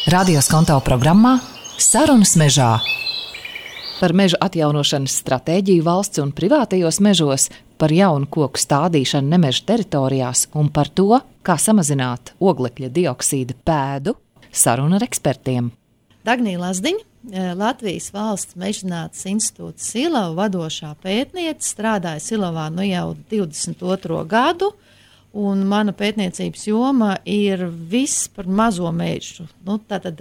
Radio Skonto programmā Sarunas mežā. Par meža atjaunošanas stratēģiju valsts un privātajos mežos, par jaunu koku stādīšanu nemeža teritorijās un par to, kā samazināt oglekļa dioksīda pēdu, saruna ar ekspertiem. Dagnija Lazdiņa, Latvijas Valsts mežzinātnes institūta Silava vadošā pētniece, strādāja Silavā jau 22. gadu, un mana pētniecības joma ir viss par mazo mežu. Tātad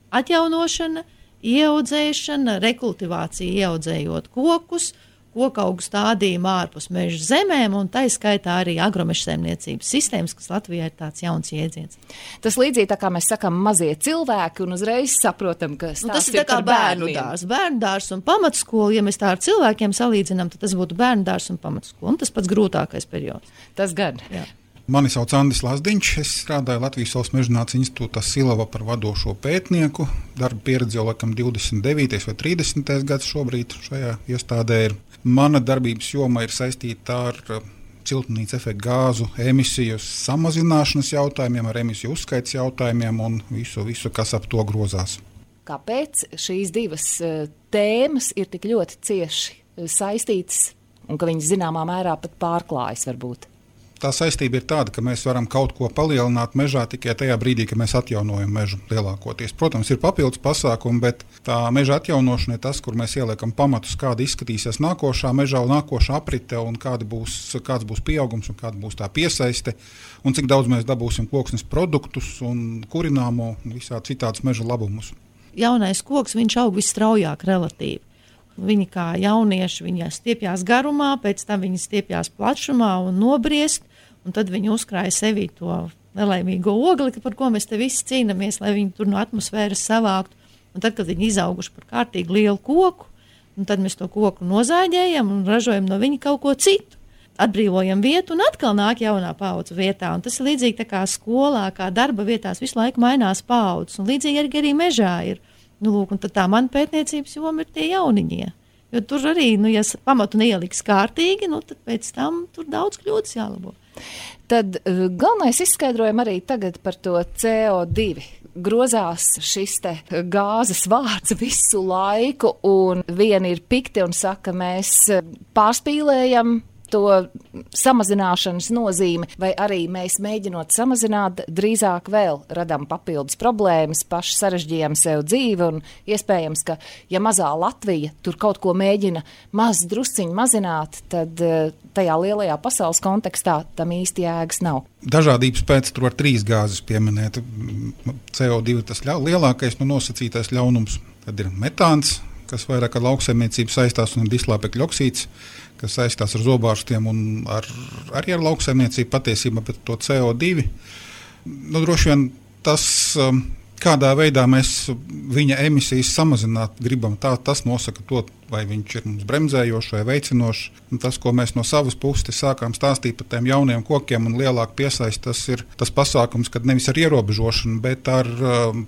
atjaunošana, ieaudzēšana, rekultivācija ieaudzējot kokus, kokaugu stādījumu ārpus meža zemēm, un tā skaitā arī agromeža saimniecības sistēmas, kas Latvijā ir tāds jauns jēdziens. Tas līdzīgi tā kā mēs sakam mazie cilvēki, un uzreiz saprotam, ka tas ir tā kā bērnu dārs un pamatskola. Ja mēs tā ar cilvēkiem salīdzinām, tad tas būtu bērnu dārs un pamatskola, un tas pats grūtākais periods. Tas gan. Jā. Mani sauc Andris Lazdiņš, es strādāju Latvijas Valsts mežzinātnes institūtā Silava par vadošo pētnieku. Darba pieredze jau laikam 29. vai 30. gads šobrīd šajā iestādē ir. Mana darbības joma ir saistīta ar siltumnīca efekta gāzu emisiju samazināšanas jautājumiem, ar emisiju uzskaits jautājumiem un visu, kas ap to grozās. Kāpēc šīs divas tēmas ir tik ļoti cieši saistītas un ka viņas zināmā mērā pat pārklājas varbūt? Tā saistība ir tāda, ka mēs varam kaut ko palielināt mežā tikai tajā brīdī, kad mēs atjaunojam mežu lielākoties. Protams, ir papildus pasākumi, bet tā meža atjaunošana ir tas, kur mēs ieliekam pamatus, kāda izskatīsies nākošā mežā un nākošā aprite, un kāds būs pieaugums un kāda būs tā piesaiste, un cik daudz mēs dabūsim koksnes produktus un kurināmo un visādi citādas meža labumus. Jaunais koks, viņš aug visstraujāk relatīvi. Viņi kā jaunieši, viņi stiepjās garumā, pēc tam viņi stiepjās plašumā un nobriest, un tad viņi uzkrāja sevī to nelaimīgo ogli, par ko mēs te visi cīnāmies, lai viņi tur no atmosfēras savāktu. Un tad, kad viņi izauguši par kārtīgi lielu koku, un tad mēs to koku nozāģējam un ražojam no viņa kaut ko citu. Atbrīvojam vietu un atkal nāk jaunā paudze vietā. Un tas ir līdzīgi tā kā skolā, kā darba vietās visu laiku mainās paudzes, un līdzīgi arī mežā ir. Lūk, un tad tā mana pētniecības joma ir tie jauniņie. Jo tur arī, ja pamatu neieliks kārtīgi, tad pēc tam tur daudz kļūdas jālabo. Tad galvenais izskaidrojam arī tagad par to CO2. Grozās šis te gāzes vārds visu laiku, un vieni ir pikti un saka, mēs pārspīlējam to samazināšanas nozīmi, vai arī mēs mēģinot samazināt, drīzāk vēl radām papildus problēmas, paši sarežģījām sev dzīvi, un iespējams, ka ja mazā Latvija tur kaut ko mēģina drusciņu mazināt, tad tajā lielajā pasaules kontekstā tam īsti jēgas nav. Dažādības pēc tur var 3 gāzes pieminēt. CO2 tas lielākais nosacītais ļaunums, tad ir metāns, kas vairāk ar lauksaimniecību saistās, un dislāpekļa oksīds, kas saistās ar zobārstiem un arī ar lauksaimniecību patiesībā, bet to CO2. Droši vien tas, kādā veidā mēs viņa emisijas samazināt gribam, tas nosaka to, vai viņš ir mums bremzējošs vai veicinošs. Un tas, ko mēs no savas puses sākām stāstīt par tiem jauniem kokiem un lielāku piesaisti, tas ir tas pasākums, kad nevis ar ierobežošanu, bet ar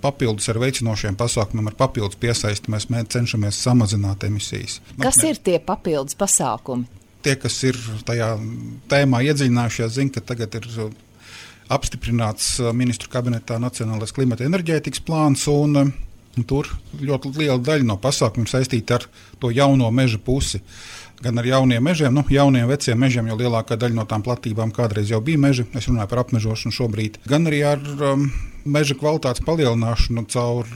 papildus ar veicinošiem pasākumiem, ar papildus piesaisti mēs cenšamies samazināt emisijas. Ir tie papildus pasākumi? Tie, kas ir tajā tēmā iedziļinājušies, zina, ka tagad ir apstiprināts ministru kabinetā Nacionālais klimata enerģētikas plāns, un tur ļoti liela daļa no pasākumiem saistīta ar to jauno meža pusi. Gan ar jauniem mežiem, jauniem veciem mežiem, jo lielākā daļa no tām platībām kādreiz jau bija meži, es runāju par apmežošanu šobrīd, gan arī ar meža kvalitātes palielināšanu caur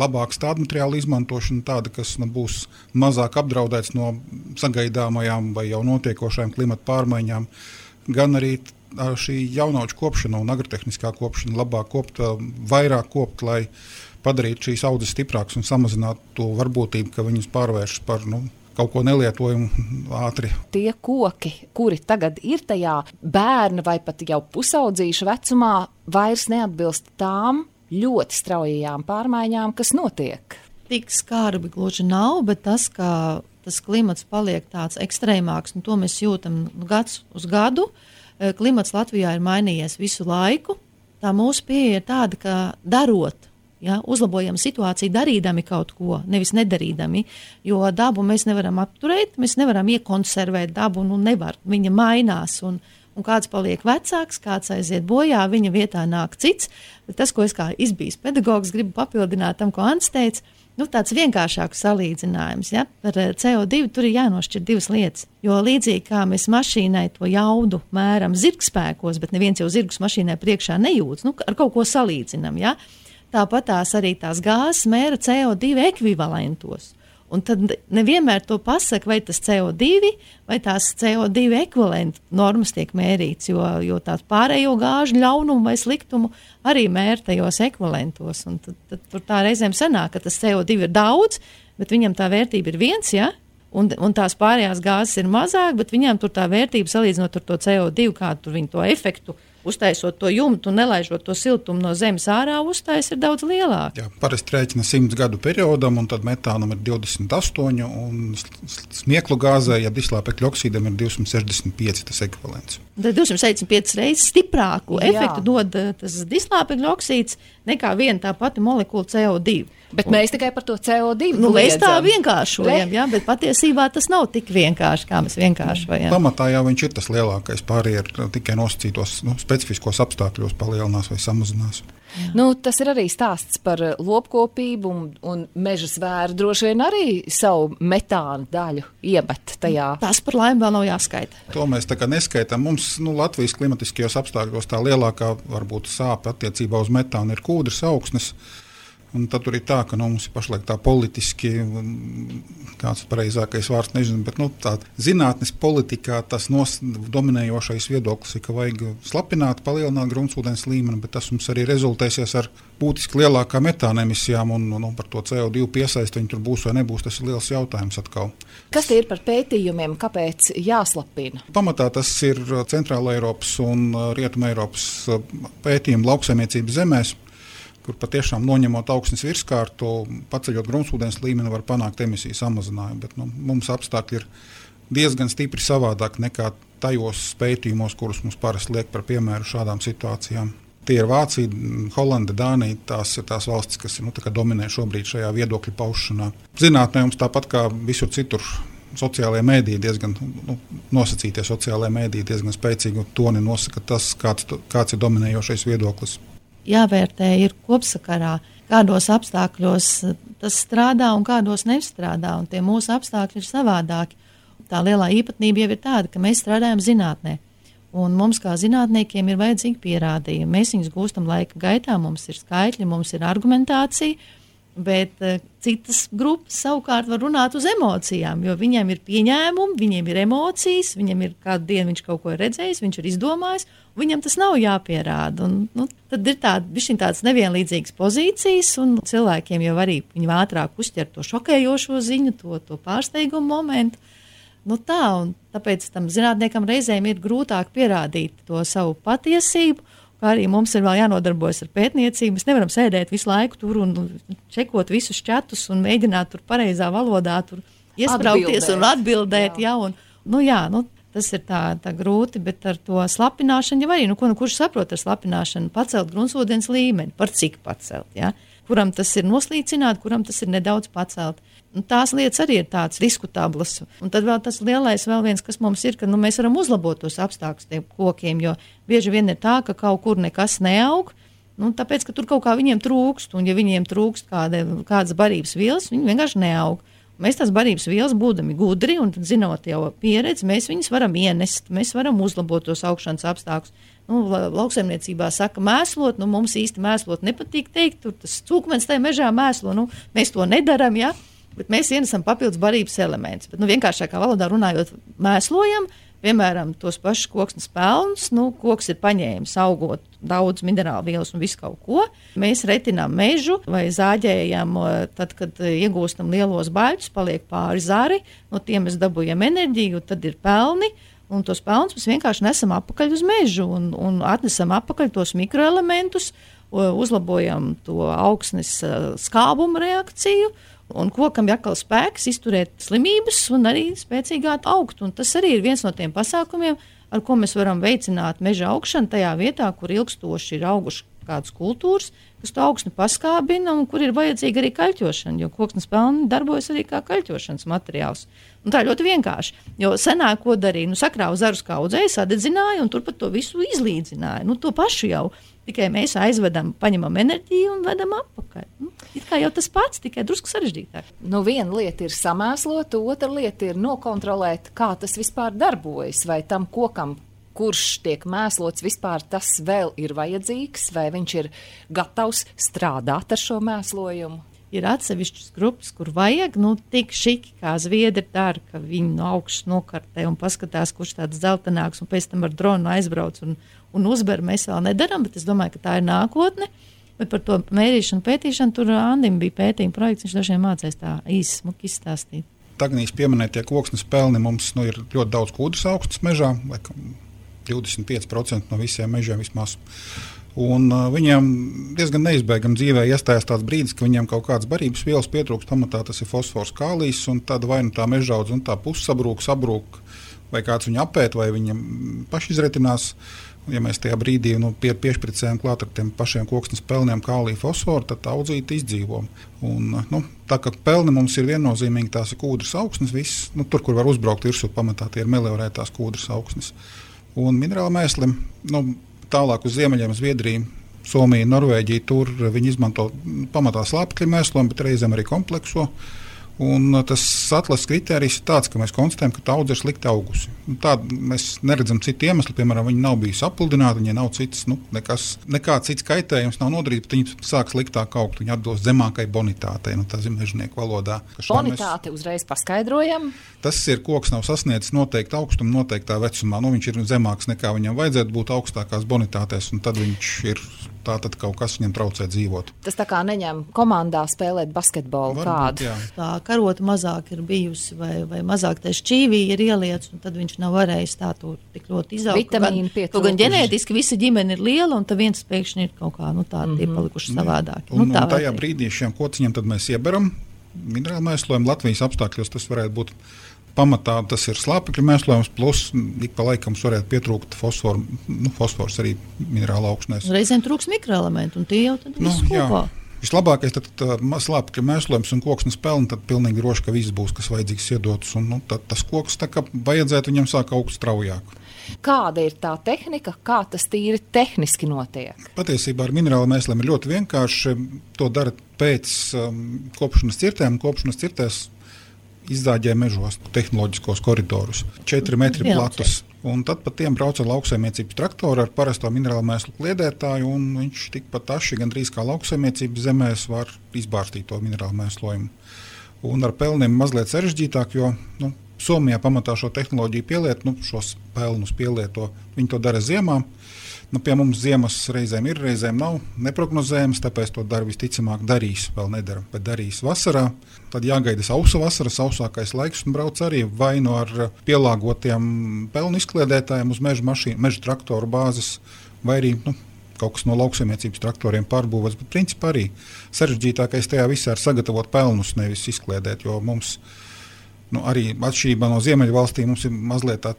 labāku stādmateriālu izmantošanu, tāda, kas būs mazāk apdraudēts no sagaidāmajām vai jau notiekošajām klimata pārmaiņām, gan arī šī jaunauču kopšana un agrotehniskā kopšana, labāk kopt, vairāk kopt, lai padarītu šīs audzes stiprākas un samazinātu to varbūtību, ka viņas pārvēršas par kaut ko nelietojumu ātri. Tie koki, kuri tagad ir tajā bērna vai pat jau pusaudzīša vecumā, vairs neatbilst tām ļoti straujajām pārmaiņām, kas notiek. Tik skarbi gluži nav, bet tas, ka tas klimats paliek tāds ekstrēmāks, un to mēs jūtam gads uz gadu. Klimats Latvijā ir mainījies visu laiku. Tā mūsu pieeja ir tāda, ka darot, uzlabojam situāciju darīdami kaut ko, nevis nedarīdami, jo dabu mēs nevaram apturēt, mēs nevaram iekonservēt dabu, nevar, viņa mainās, un un kāds paliek vecāks, kāds aiziet bojā, viņa vietā nāk cits. Bet tas, ko es kā izbijis pedagogs gribu papildināt tam, ko Ants teica, tāds vienkāršāks salīdzinājums. Ja? Par CO2 tur ir jānošķir divas lietas. Jo līdzīgi kā mēs mašīnai to jaudu mēram zirgspēkos, bet neviens jau zirgus mašīnai priekšā nejūtas, ar kaut ko salīdzinam. Ja? Tāpat arī tās gāzes mēra CO2 ekvivalentos. Un tad nevienmēr to pasaka, vai tas CO2 vai tās CO2 ekvivalentu normas tiek mērīts, jo tās pārējo gāžu ļaunumu vai sliktumu arī mēr tajos ekvivalentos. Un tad tur tā reizēm sanāk, ka tas CO2 ir daudz, bet viņam tā vērtība ir 1, ja? Un tās pārējās gāzes ir mazāk, bet viņam tur tā vērtība salīdzinot ar to CO2, kādu tur viņi to efektu uztaisot to jumtu un nelaižot to siltumu no zemes ārā, uztais ir daudz lielāka. Jā, parasti rēķina 100 gadu periodam, un tad metānam ir 28, un smieklu gāzē, ja dislāpekļa oksīdam ir 265 tas ekvivalents. Tad 265 reizes stiprāku efektu dod tas dislāpekļa oksīds nekā viena tā pati molekula CO2. Bet mēs tikai par to CO2 mēs tā vienkāršojam, ja? Bet patiesībā tas nav tik vienkārši, kā mēs vienkāršojam. Pamatā jau viņš ir tas lielākais, pārējie ir tikai nosacītos specifiskos apstākļos palielinās vai samazinās. Tas ir arī stāsts par lopkopību un meža zvēru droši vien arī savu metāna daļu iemet tajā. Tas par laimi vēl nav jāskaita. To mēs tā kā neskaitām. Mums Latvijas klimatiskajos apstākļos tā lielākā varbūt sāpe attiecībā uz metānu ir kūdras augsnes. Un tad tur ir tā, ka mums ir pašlaik tā politiski, kāds pareizākais vārds nezinu, bet tā zinātnes politikā tas dominējošais viedoklis ir, ka vajag slapināt, palielināt gruntsūdens līmeni, bet tas mums arī rezultēsies ar būtiski lielākām metāna emisijām un par to CO2 piesaisti, viņi tur būs vai nebūs, tas ir liels jautājums atkal. Kas tie ir par pētījumiem, kāpēc jāslapina? Pamatā tas ir Centrāla Eiropas un Rietuma Eiropas pētījumi lauksaimniecības zemēs, kur patiešām noņemot augsnes virskārtu, paceļot gruntsūdens līmeni, var panākt emisiju samazinājumu. Bet mums apstākļi ir diezgan stipri savādāk nekā tajos pētījumos, kurus mums parasti liek par piemēru šādām situācijām. Tie ir Vācija, Holanda, Dānija, tās ir tās valstis, kas dominē šobrīd šajā viedokļu paušanā. Zinātnē mums tāpat kā visur citur sociālajie mēdīji diezgan, nosacītie sociālajie mēdīji diezgan spēcīgi toni nosaka tas, kāds ir dominējošais viedoklis. Jāvērtē ir kopsakarā, kādos apstākļos tas strādā un kādos nestrādā, un tie mūsu apstākļi ir savādāki. Tā lielā īpatnība jau ir tāda, ka mēs strādājam zinātnē, un mums kā zinātniekiem ir vajadzīgi pierādījumi. Mēs viņus gūstam laika gaitā, mums ir skaitļi, mums ir argumentācija, bet citas grupas savukārt var runāt uz emocijām, jo viņiem ir pieņēmumi, viņiem ir emocijas, viņam ir kādu dienu viņš kaut ko ir redzējis, viņš ir izdomājis, un viņam tas nav jāpierāda. Un, tad ir tādas nevienlīdzīgas pozīcijas, un cilvēkiem jau arī viņi ātrāk uzķer to šokējošo ziņu, to pārsteigumu momentu. Tāpēc tam zinātniekam reizēm ir grūtāk pierādīt to savu patiesību, kā arī mums ir vēl jānodarbojas ar pētniecību. Mēs nevaram sēdēt visu laiku tur un čekot visus čatus un mēģināt tur pareizā valodā tur iespraukties un atbildēt. Tas ir tā grūti, bet ar to slapināšanu jau arī, kurš saprot ar slapināšanu, pacelt gruntsūdens līmeni, par cik pacelt, ja? Kuram tas ir noslīcināt, kuram tas ir nedaudz pacelt. Un tās lietas arī ir tādas diskutablas. Un tad vēl tas lielais vēl viens, kas mums ir, ka mēs varam uzlabot tos apstākļus tiem kokiem, jo bieži vien ir tā, ka kaut kur nekas neaug, tāpēc, ka tur kaut kā viņiem trūkst, un ja viņiem trūkst kādas barības vielas, viņi vienkārši neaug. Mēs tās barības vielas būdami gudri un zinot jau pieredzi, mēs viņas varam ienest, mēs varam uzlabot tos augšanas apstākļus. Lauksaimniecībā saka mēslot, mums īsti mēslot nepatīk teikt, tur tas cūkmens tajā mežā mēslo, mēs to nedaram, ja? Bet mēs ienesam papildus barības elementus. Bet vienkāršākā valodā runājot, mēslojam, piemēram, tos pašus koksnes pelnus, koks ir paņēmis augot daudz minerālu vielas un visu kaut ko. Mēs retinām mežu vai zāģējam, tad, kad iegūstam lielos baļķus, paliek pāri zari, no tiem mēs dabūjam enerģiju, tad ir pelni, un tos pelnus mēs vienkārši nesam apakaļ uz mežu un atnesam apakaļ tos mikroelementus, uzlabojam to augsnes skābuma reakciju, un kokam ir atkal spēks izturēt slimības un arī spēcīgāk augt. Un tas arī ir viens no tiem pasākumiem, ar ko mēs varam veicināt meža augšanu tajā vietā, kur ilgstoši ir auguši kādas kultūras, kas to augstni paskābina un kur ir vajadzīga arī kaļķošana, jo koksnes pelni darbojas arī kā kaļķošanas materiāls. Un tā ļoti vienkārši, jo senāk ko darīja, sakrāva zarus kaudzēja, sadedzināja un turpat to visu izlīdzināja. To pašu jau, tikai mēs aizvedam, paņemam enerģiju un vedam atpakaļ. Ir kā jau tas pats, tikai drusku sarežģītāk. Viena lieta ir samēslot, otra lieta ir nokontrolēt, kā tas vispār darbojas, vai tam kokam, kurš tiek mēslots, vispār tas vēl ir vajadzīgs, vai viņš ir gatavs strādāt ar šo mēslojumu. Ir atsevišķas grupas, kur vajag, tik šiki, kā zviedri dara, ka viņi no augšas nokartē un paskatās, kurš tāds zeltenāks, un pēc tam ar dronu aizbrauc un uzber. Mēs vēl nedaram, bet es domāju, ka tā ir nākotne. Bet par to mērīšanu, pētīšanu, tur Andim bija pētījuma projekts, viņš dažiem mācēs tā īsi smuki izstāstīt. Tagnīs pieminētie koksnes pelni mums ir ļoti daudz kūdras augstnes mežā, 25% no visiem mežiem vismaz. Un viņiem diezgan neizbēgami dzīvē iestājas tāds brīdis, ka viņiem kaut kādas barības vielas pietrūkst, pamatā tas ir fosfors, kālijs, un tad vai tā mežaudze un tā puses sabrūk, vai kāds viņu apēt, vai viņam paši izretinās. Ja mēs tajā brīdī piešpricējam klāt ar tiem pašiem koksnes pelniem kāliju, fosforu, tad tā audzīte izdzīvo. Un, tā kā pelni mums ir viennozīmīgi, tās ir kūdras augsnes, viss, tur, kur var uzbraukt virsū, pamatā tie ir meliorētās kūdras augsnes. Un minerāla mēsli, tālāk uz ziemeļiem, Zviedrija, Somija, Norvēģija, tur viņi izmanto pamatā slāpekļa mēslojumu, bet reizēm arī komplekso. Un tas atlases kritērijs ir tāds, ka mēs konstatējam, ka tā audze ir slikti augusi. Tādu mēs neredzam citu iemeslu, piemēram, viņi nav bijusi apludināti, viņai nav citas, nekāds cits kaitējums nav nodarīts, bet viņi sāk sliktāk augt, viņi atbilst zemākai bonitātei, tā ir mežnieku valodā. Bonitāte uzreiz paskaidrojam. Tas ir koks nav sasniedzis noteiktu augstumu noteiktā vecumā, viņš ir zemāks nekā viņam vajadzētu būt augstākās bonitātēs, un tad viņš ir tātad kaut kas viņam traucē dzīvot. Tas tā kā neņem komandā spēlēt basketbolu kādu. Jā. Tā karota mazāk ir bijusi vai mazāk tā šķīvī ir ieliets, un tad viņš nav varējis tā tur tik ļoti izaugt. Vitamīnu pietrūkst. Gan ģenētiski visa ģimene ir liela, un tad viens pēkšņi ir kaut kā tādi tie palikuši savādāki. Un tajā brīdī šiem kociņiem tad mēs ieberam minerālu mēslojumu. Latvijas apstākļos tas varētu būt pamatā, tas ir slāpekļa mēslojums, plus ik pa laikam varētu pietrūkt fosforu, fosfors arī minerāla augsnēs. Reizēm trūks mikroelementu, un tie jau tad viss kopā. Vislabākais tad slāpekļa mēslojums un koksnes pelni, tad pilnīgi droši, ka viss būs, kas vajadzīgs iedots, un tad tas koks tā kā vajadzētu viņam sāk augt straujāk. Kāda ir tā tehnika, kā tas tīri tehniski notiek? Patiesībā ar minerālu mēsliem ir ļoti vienkārši. To dara pēc kopšanas cirtēm. Kopšanas cirtēs izzāģē mežos tehnoloģiskos koridorus, 4 metri platus. Un tad pa tiem brauc ar lauksaimniecības traktoru ar parasto minerālu mēslu kliedētāju, un viņš tikpat aši gandrīz kā lauksaimniecības zemēs var izbārstīt to minerālu mēslojumu. Un ar pelniem mazliet sarežģītāk, jo Somijā pamatā šo tehnoloģiju pielieto, šos pelnus pielieto. Viņi to dara ziemā. Pie mums ziemas reizēm ir, reizēm nav neprognozējams, tāpēc to visticamāk darīs, vēl nedara, bet darīs vasarā. Tad jāgaida sausa vasara, sausākais laiks, un brauc arī vai no ar pielāgotiem pelnu izkliedētājiem uz meža traktoru bāzes, vai arī kaut kas no lauksaimniecības traktoriem pārbūvēts. Bet principā arī sarežģītākais tajā visā ir sagatavot pelnus, nevis izkliedēt, jo mums arī atšķirībā no Ziemeļvalstīm mums ir mazliet tā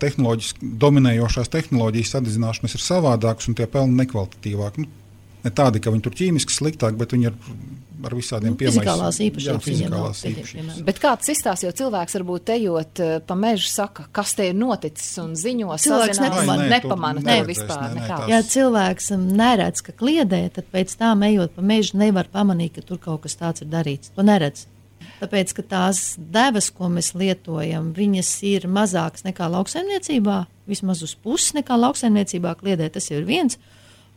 dominējošās tehnoloģijas sadedzināšanas ir savādākas un tie pelni nekvalitatīvāki. Ne tādi, ka viņi tur ķīmiski sliktāk, bet viņi ir ar visādiem fizikālās īpašībām. Bet kāds izstāsta, jo cilvēks varbūt ejot pa mežu saka, kas te ir noticis un ziņo, cilvēks nepamana vispār. Ja cilvēks neredz, ka kliedē, tad pēc tām ejot pa mežu nevar pamanīt, ka tur kaut kas tāds ir darīts. To neredz. Tāpēc, ka tās devas, ko mēs lietojam, viņas ir mazākas nekā lauksaimniecībā, vismaz uz pusi nekā lauksaimniecībā kliedē, tas jau ir viens.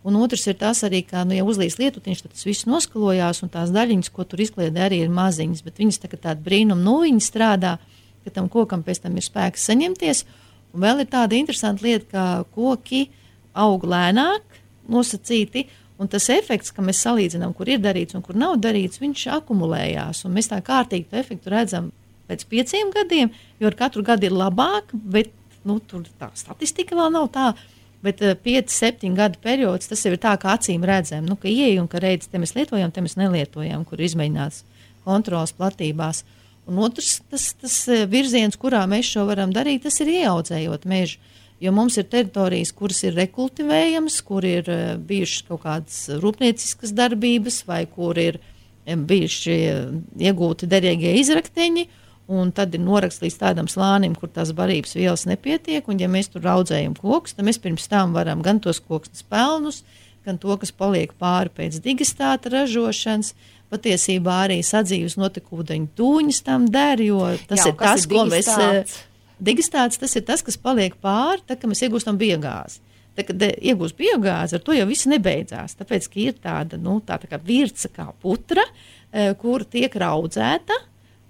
Un otrs ir tas arī, ka, ja uzlīs lietutiņš, tad tas viss noskalojās, un tās daļiņas, ko tur izkliedē, arī ir maziņas, bet viņas tāda brīnum viņi strādā, ka tam kokam pēc tam ir spēks saņemties. Un vēl ir tāda interesanta lieta, ka koki aug lēnāk, nosacīti, un tas efekts, ka mēs salīdzinām, kur ir darīts un kur nav darīts, viņš akumulējās. Un mēs tā kārtīgi to efektu redzam pēc 5 gadiem, jo ar katru gadu ir labāk, bet tur tā statistika vēl nav tā. Bet 5-7 gadu periods, tas jau ir tā, kā acīm redzam, ka ieej un ka redz, te mēs lietojam, te mēs nelietojam, kur izmēģināts kontrolas platībās. Un otrs, tas virziens, kurā mēs šo varam darīt, tas ir ieaudzējot mežu. Jo mums ir teritorijas, kuras ir rekultivējamas, kur ir bijušas kaut kādas rūpnieciskas darbības vai kur ir bijuši iegūti derīgie izrakteņi, un tad ir noraksts līdz tādam slānim, kur tās barības vielas nepietiek, un ja mēs tur audzējam kokus, tad mēs pirms tam varam gan tos koksnes pelnus, gan to, kas paliek pāri pēc digestāta ražošanas, patiesībā arī sadzīves notekūdeņu tūņas tam der, jo tas ir tas, ko mēs... Digestāts tas ir tas, kas paliek pāri, tad, kad mēs iegūstam biogāzi. Tad, kad iegūst biogāzi, ar to jau viss nebeidzās, tāpēc, ka ir tāda, tā kā virca kā putra, kur tiek raudzēta,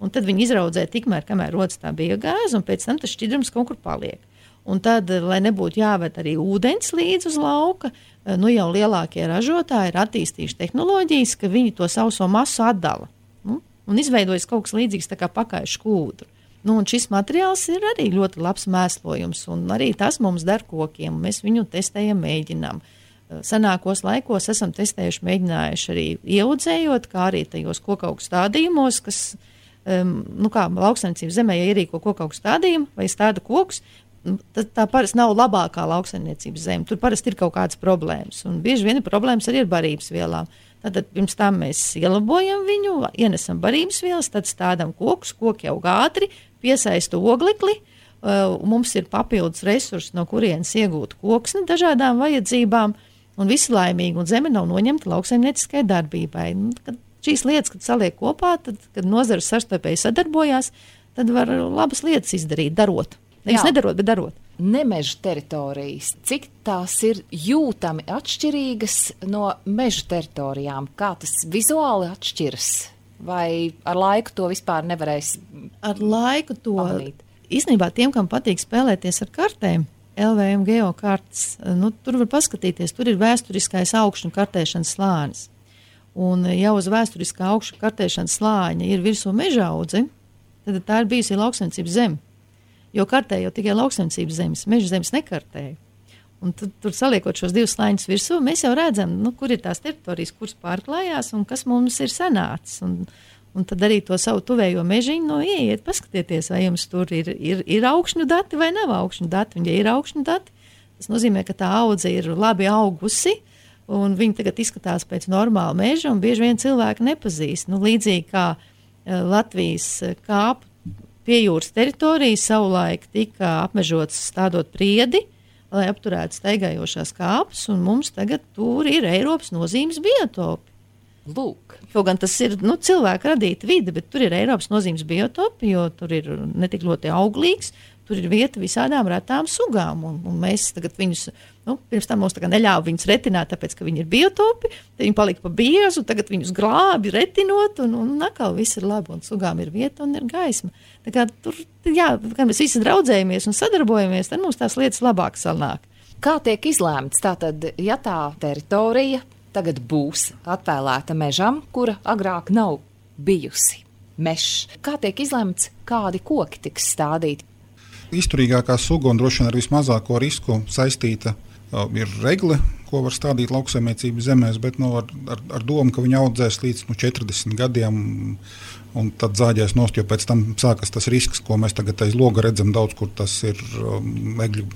un tad viņi izraudzē tikmēr, kamēr rodas tā biogāze, un pēc tam tas šķidrums kaut kur paliek. Un tad, lai nebūtu jāved arī ūdens līdz uz lauka, jau lielākie ražotāji ir attīstījuši tehnoloģijas, ka viņi to sauso masu atdala. Un izveidojas kaut kas līdzīgs tā kā pakaišu kūdru. Un šis materiāls ir arī ļoti labs mēslojums, un arī tas mums der kokiem. Mēs viņu testējam, mēģinām. Senākos laikos esam testējuši, mēģinājuši arī ieaudzējot, kā arī tajos kokaugu stādījumos, kas, kā lauksaimniecības zemē, ja ierīko kokaugu stādījumu vai stāda kokus, tā parasti nav labākā lauksaimniecības zeme. Tur parasti ir kaut kādas problēmas, un bieži vien ir problēmas arī ar barības vielām. Tad pirms tam mēs ielabojam viņu, ienesam barības vielas, tad stādam kokus, koki aug ātri, piesaista oglekli, mums ir papildus resursi, no kurienes iegūt koksni dažādām vajadzībām, un visi laimīgi, un zeme nav noņemta lauksaimnieciskai darbībai. Kad šīs lietas, kad saliek kopā, tad, kad nozares savstarpēji sadarbojās, tad var labas lietas izdarīt, darot. Nevis nedarot, bet darot. Nemeža teritorijas, cik tās ir jūtami atšķirīgas no meža teritorijām? Kā tas vizuāli atšķiras? Vai ar laiku to vispār nevarēs ar laiku to pamanīt? Īstenībā tiem, kam patīk spēlēties ar kartēm, LVM geokartes, tur var paskatīties, tur ir vēsturiskais augšņu kartēšanas slānis. Un jau uz vēsturiskā augšņu kartēšanas slāņa ir virsū mežaudze, tad tā ir bijusi lauksaimniecības zeme. Jo kartēja jau tikai lauksaimniecības zemes, meža zemes nekartēja. Un tur saliekot šos divus slāņus virsū, mēs jau redzam, kur ir tās teritorijas, kuras pārklājās un kas mums ir sanācis. Un tad arī to savu tuvējo mežiņu, ieiet, paskatieties, vai jums tur ir augšņu dati vai nav augšņu dati. Un ja ir augšņu dati, tas nozīmē, ka tā audze ir labi augusi, un viņi tagad izskatās pēc normāla meža, un bieži vien cilvēki nepazīst. Līdzīgi kā Latvijas kāpu piejūras teritorija savulaik tika apmežotas stādot priedi, lai apturētu staigājošās kāpes, un mums tagad tur ir Eiropas nozīmes biotopi. Lūk. Kaut gan tas ir cilvēka radīta vide, bet tur ir Eiropas nozīmes biotopi, jo tur ir netik ļoti auglīgs, tur ir vieta visādām retām sugām, un mēs tagad viņus, pirms tam mums neļāva viņus retināt, tāpēc, ka viņi ir biotopi, tad viņi palika pa biezu, tagad viņus glābi retinot, un atkal viss ir labi, un sugām ir vieta un ir gaisma. Tā kā tur, kad mēs visi draudzējamies un sadarbojamies, tad mums tās lietas labāk sanāk. Kā tiek izlēmts? Tātad, ja tā teritorija tagad būs atvēlēta mežam, kura agrāk nav bijusi mežs, kā tiek izlēmts, kādi koki tiks stādīti? Izturīgākā suga un droši vien ar vismazāko risku saistīta ir regle, ko var stādīt lauksaimniecības zemēs, bet ar domu, ka viņi audzēs līdz 40 gadiem un tad zāģēs nost, jo pēc tam sākas tas risks, ko mēs tagad aiz loga redzam daudz, kur tas ir egļu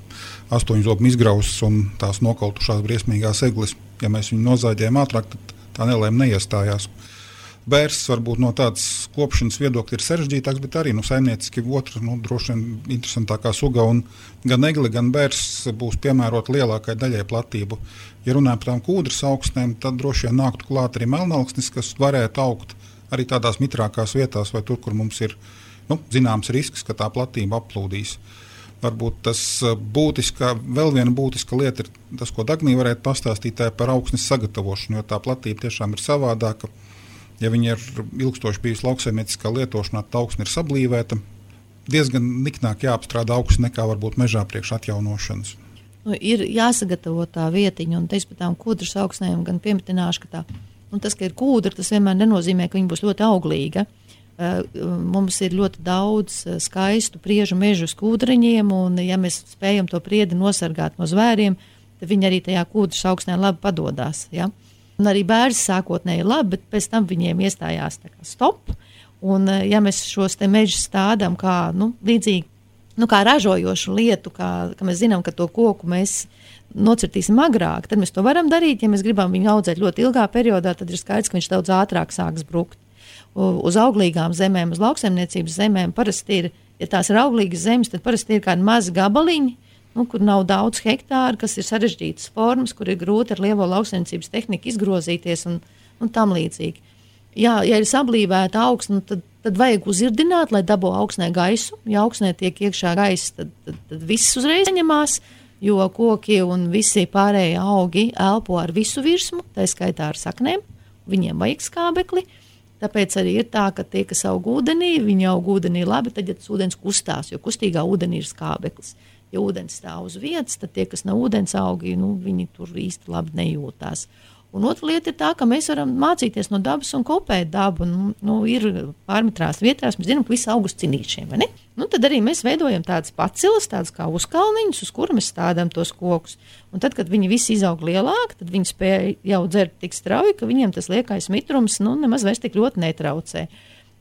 8 zobu izgrausts un tās nokautušās briesmīgās eglis. Ja mēs viņu nozāģējam ātrāk, tad tā nelēma neiestājās. Bērs varbūt no tādas kopšanas viedokļa ir sarežģītāks, bet arī saimnieciski otra, droši vien interesantākā suga, un gan egle, gan bērs būs piemērota lielākai daļai platību. Ja runājam par tām kūdras augsnēm, tad droši vien nāktu klāt arī melnaugsnis, kas varētu augt arī tādās mitrākās vietās, vai tur, kur mums ir zināms risks, ka tā platība aplūdīs. Varbūt tas vēl viena būtiska lieta ir tas, ko Dagnija varētu pastāstīt par augsnes sagatavošanu, jo tā platība tiešām ir savādāka. Ja viņi ir ilgstoši bijusi lauksaimnieciskā lietošanā, tad augsne ir sablīvēta. Diezgan niknāk jāapstrādā augsne nekā varbūt mežā priekš atjaunošanas. Ir jāsagatavo tā vietiņa, un te es par tām kūdras augsnēm gan piemitināšu, ka tas, ka ir kūdra, tas vienmēr nenozīmē, ka viņa būs ļoti auglīga. Mums ir ļoti daudz skaistu priežu mežu uz kūdriņiem, un ja mēs spējam to priedi nosargāt no zvēriem, tad viņi arī tajā kūdras augsnē labi padodās, ja? Un arī bērns sākotnēji ir labi, bet pēc tam viņiem iestājās tā kā stop. Un ja mēs šos te mežus stādām kā līdzīgi kā ražojošu lietu, ka mēs zinām, ka to koku mēs nocirtīsim agrāk, tad mēs to varam darīt. Ja mēs gribam viņu audzēt ļoti ilgā periodā, tad ir skaidrs, ka viņš daudz ātrāk sāks brukt. Uz auglīgām zemēm, uz lauksaimniecības zemēm parasti ir, ja tās ir auglīgas zemes, tad parasti ir kādi mazi gabaliņi, kur nav daudz hektāru, kas ir sarežģītas formas, kur ir grūti ar lielo lauksaimniecības tehniku izgrozīties un tam līdzīgi. Ja ir sablīvēta augsne, tad vajag uzirdināt, lai dabū augsnē gaisu. Ja augsnē tiek iekšā gaisa, tad viss uzreiz saņemās, jo koki un visi pārējie augi elpo ar visu virsmu, tā skaitā ar saknēm. Viņiem vajag skābekli. Tāpēc arī ir tā, ka tie, kas aug ūdenī, viņi aug ūdenī labi, tad, ja tas ūdens kustās, jo kustīgā ūdenī ir skābeklis. Ja ūdens stāv uz vietas, tad tie, kas nav ūdens augi, viņi tur īsti labi nejūtās. Un otra lieta ir tā, ka mēs varam mācīties no dabas un kopēt dabu. Ir pārmetrās vietās, mēs zinām, ka visi aug uz cinīšiem, vai ne? Tad arī mēs veidojam tādas pacilas, tādas kā uzkalniņus, uz kura mēs stādām tos kokus. Un tad, kad viņi visi izaug lielāki, tad viņi spēja jau dzert tik strauji, ka viņiem tas liekais mitrums nemaz vairs tik ļoti netraucē.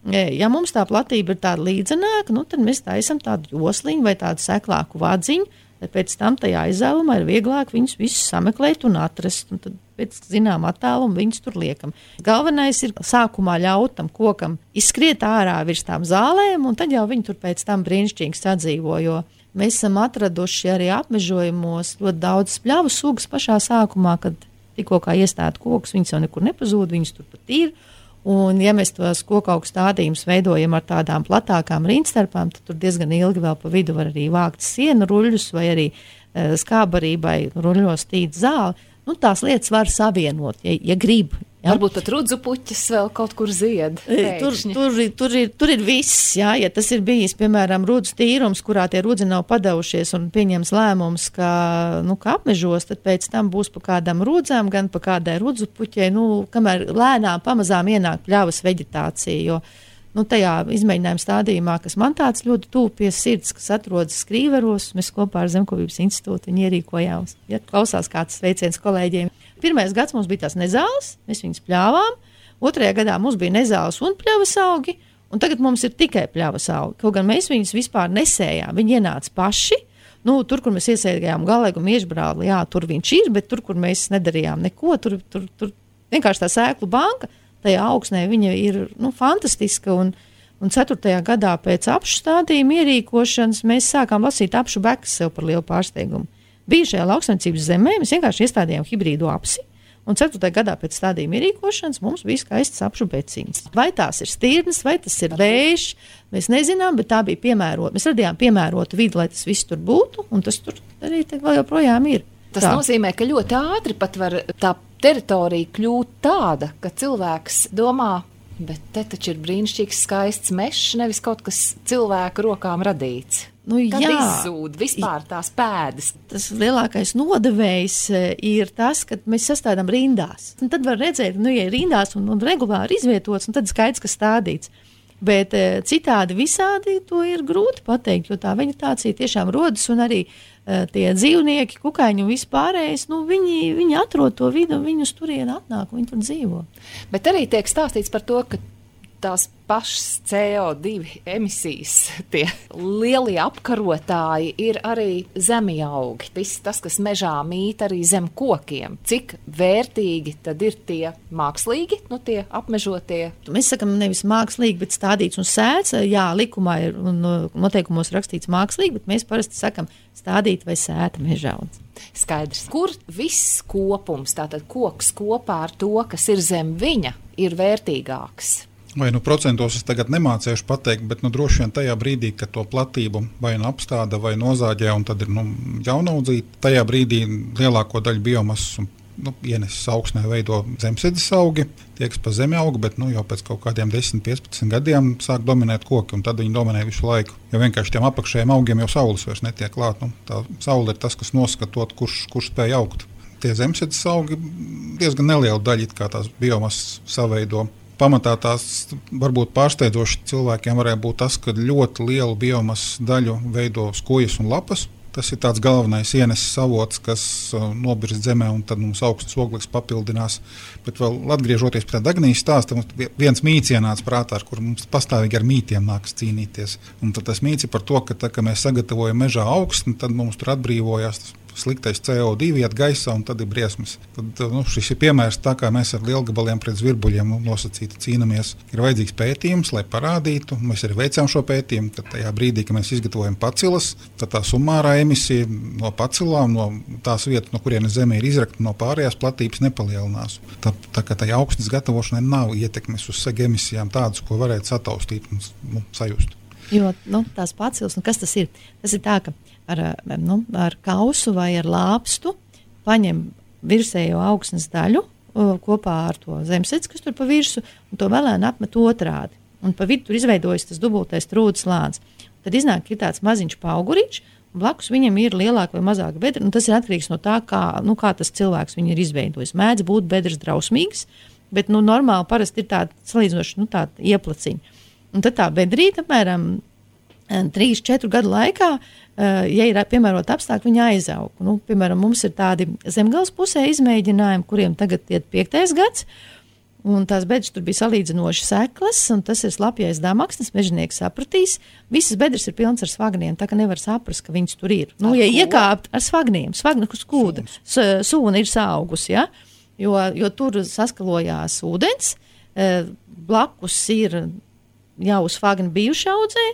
Ja mums tā platība ir tāda līdzenāka, tad mēs taisam tādu josliņu vai tādu seklāku vadziņu, lai pēc tam tajā izdevumā ir vieglāk viņus visus sameklēt un atrast. Un tad pēc zinām attālumu viņus tur liekam. Galvenais ir sākumā ļaut tam kokam izskriet ārā virs tām zālēm, un tad jau viņi tur pēc tam brīnišķīgi sadzīvo, jo mēs esam atraduši arī apmežojumos ļoti daudz spļavu sugas pašā sākumā, kad tikko kā iestāda kokus, viņas jau nekur nepazūd, viņas tur pat ir. Un, ja mēs tos kokaugu stādījumus veidojam ar tādām platākām rindstarpām, tad tur diezgan ilgi vēl pa vidu var arī vākt sienu ruļļus vai arī skābarībai ruļļos tīt zāli. Tās lietas var savienot, ja grib. Ja? Varbūt pat rudzu puķis vēl kaut kur zied. Tur ir viss, ja tas ir bijis, piemēram, rudzu tīrums, kurā tie rudzi nav padavušies un pieņems lēmums, ka apmežos, tad pēc tam būs pa kādām rudzām, gan pa kādai rudzu puķei, kamēr lēnām pamazām ienāk pļavas veģetācija, jo tajā izmēģinājuma stādījumā, kas man tāds ļoti tuvu pie sirds, kas atrodas Skrīveros, mēs kopā ar Zemkopības institūtu viņu ierīkojām. Ja klausās kāds sveiciens kolēģiem. Pirmais gads mums bija tās nezāles, mēs viņus pļāvām. Otrajā gadā mums bija nezāles un pļavas augi, un tagad mums ir tikai pļavas augi. Kaut gan mēs viņus vispār nesējām, viņi ienāca paši. Tur, kur mēs iesēdējām galēgu miežbrāli, jā, tur viņš ir, bet tur, kur mēs nedarījām neko, tur vienkārši tā sēklu banka, tajā augsnē viņa ir fantastiska, un 4. gadā pēc apšu stādījuma ierīkošanas mēs sākām lasīt apšu bekas sev par lielu pārsteigumu. Bijušajā lauksaimniecības zemē mēs vienkārši iestādījām hibrīdu apsi, un 4. gadā pēc stādījuma ierīkošanas mums bija skaistas apšu beciņas. Vai tās ir stirnas, vai tas ir vējš, mēs nezinām, bet tā bija piemērota. Mēs radījām piemērotu vidi, lai tas viss tur būtu, un tas tur arī vēl joprojām ir. Tas nozīmē, ka ļoti ātri pat var tā teritorija kļūt tāda, ka cilvēks domā, bet te taču ir brīnišķīgs skaists mežs, nevis kaut kas cilvēku rokām radīts. Kad izzūd vispār tās pēdas. Tas lielākais nodevējs ir tas, ka mēs sastādām rindās. Un tad var redzēt, ja ir rindās un regulāri izvietots, un tad skaidrs, ka stādīts. Bet citādi visādi to ir grūti pateikt, jo tā veģetācija tiešām rodas, un arī tie dzīvnieki, kukaiņi un vispārējais, viņi atrod to vidu, viņi uz turieni atnāk, viņi tur dzīvo. Bet arī tiek stāstīts par to, ka tās pašas CO2 emisijas, tie lielie apkarotāji ir arī zemjaugi. Viss tas, kas mežā mīt arī zem kokiem. Cik vērtīgi tad ir tie mākslīgi, tie apmežotie? Mēs sakam nevis mākslīgi, bet stādīts un sēts. Jā, likumā ir un noteikumos rakstīts mākslīgi, bet mēs parasti sakam stādīt vai sēta mežauds. Skaidrs. Kur viss kopums, tātad koks kopā ar to, kas ir zem viņa, ir vērtīgāks? Vai procentos es tagad nemācēšu pateikt, bet droši vien tajā brīdī, kad to platību vai apstāda vai nozāģē, un tad ir jaunaudzīt, tajā brīdī lielāko daļu biomasas ienesis augsnē veido zemsēdzes augi, tie, kas pa zemi aug, bet jau pēc kaut kādiem 10-15 gadiem sāk dominēt koki, un tad viņi dominē visu laiku. Jo vienkārši tiem apakšējiem augiem jau saules vairs netiek klāt. Tā saule ir tas, kas noskatot, kurš spēj augt. Tie zemsēdzes augi diezgan neliela daļa, kā tās biomasas saveido. Pamatā tās varbūt pārsteidzoši cilvēkiem varētu būt tas, ka ļoti lielu biomasas daļu veido skojas un lapas. Tas ir tāds galvenais ieneses avots, kas nobirst zemē, un tad mums augsts ogleklis papildinās. Bet vēl atgriežoties pie tā Dagnijas stāsta, mums viens mīts ienāca prātā, ar kur mums pastāvīgi ar mītiem nākas cīnīties. Un tad tas mīts ir par to, ka tā, kad mēs sagatavojam mežā augstni, tad mums tur atbrīvojās tas sliktais CO2 iet gaisā, un tad ir briesmas. Tad, šis ir piemērs tā, kā mēs ar lielgabaliem pret zvirbuļiem nosacīti cīnamies. Ir vajadzīgs pētījums, lai parādītu. Mēs arī veicām šo pētījumu, ka tajā brīdī, kad mēs izgatavojam pacilas, tad tā sumārā emisija no pacilām, no tās vietas, no kurienes zeme ir izrakta, no pārējās platības nepalielinās. Tā kā tai augstnes gatavošanai nav ietekmes uz seg emisijām tādas, ko varētu sataustīt un sajust. Jo tās pacilas, kas tas ir? Tas ir tā, ka ar kausu vai ar lāpstu paņem virsējo augsnes daļu kopā ar to zemesēdzi, kas tur pa virsu, un to vēlēni apmet otrādi. Un pa vidu tur izveidojas tas dubultais trūdes slānis. Tad iznāk, ka ir tāds maziņš pauguriņš, un blakus viņam ir lielāka vai mazāka bedra, un tas ir atkarīgs no tā, kā tas cilvēks viņu ir izveidojis. Mēdz būt bedres drausmīgas, bet normāli parasti ir tāda salīdzinoši tāda ieplaciņa. Un tad tā bedrīte apmēram 3-4 gadu laikā, ja ir piemērot apstākļi, viņa aizaug. Piemēram, mums ir tādi Zemgales pusē izmēģinājumi, kuriem tagad iet 5. gads, un tās bedres tur bija salīdzinoši seklas, un tas ir slapjais damaksnis, mežonieks sapratīs. Visas bedres ir pilnas ar svagniem, tā ka nevar saprast, ka viņas tur ir. Ja iekāpt ar svagniem, svagna skūda, sūna ir saugus, ja? jo tur saskalojās ūdens, blakus ir jau svagni bijuši audzē,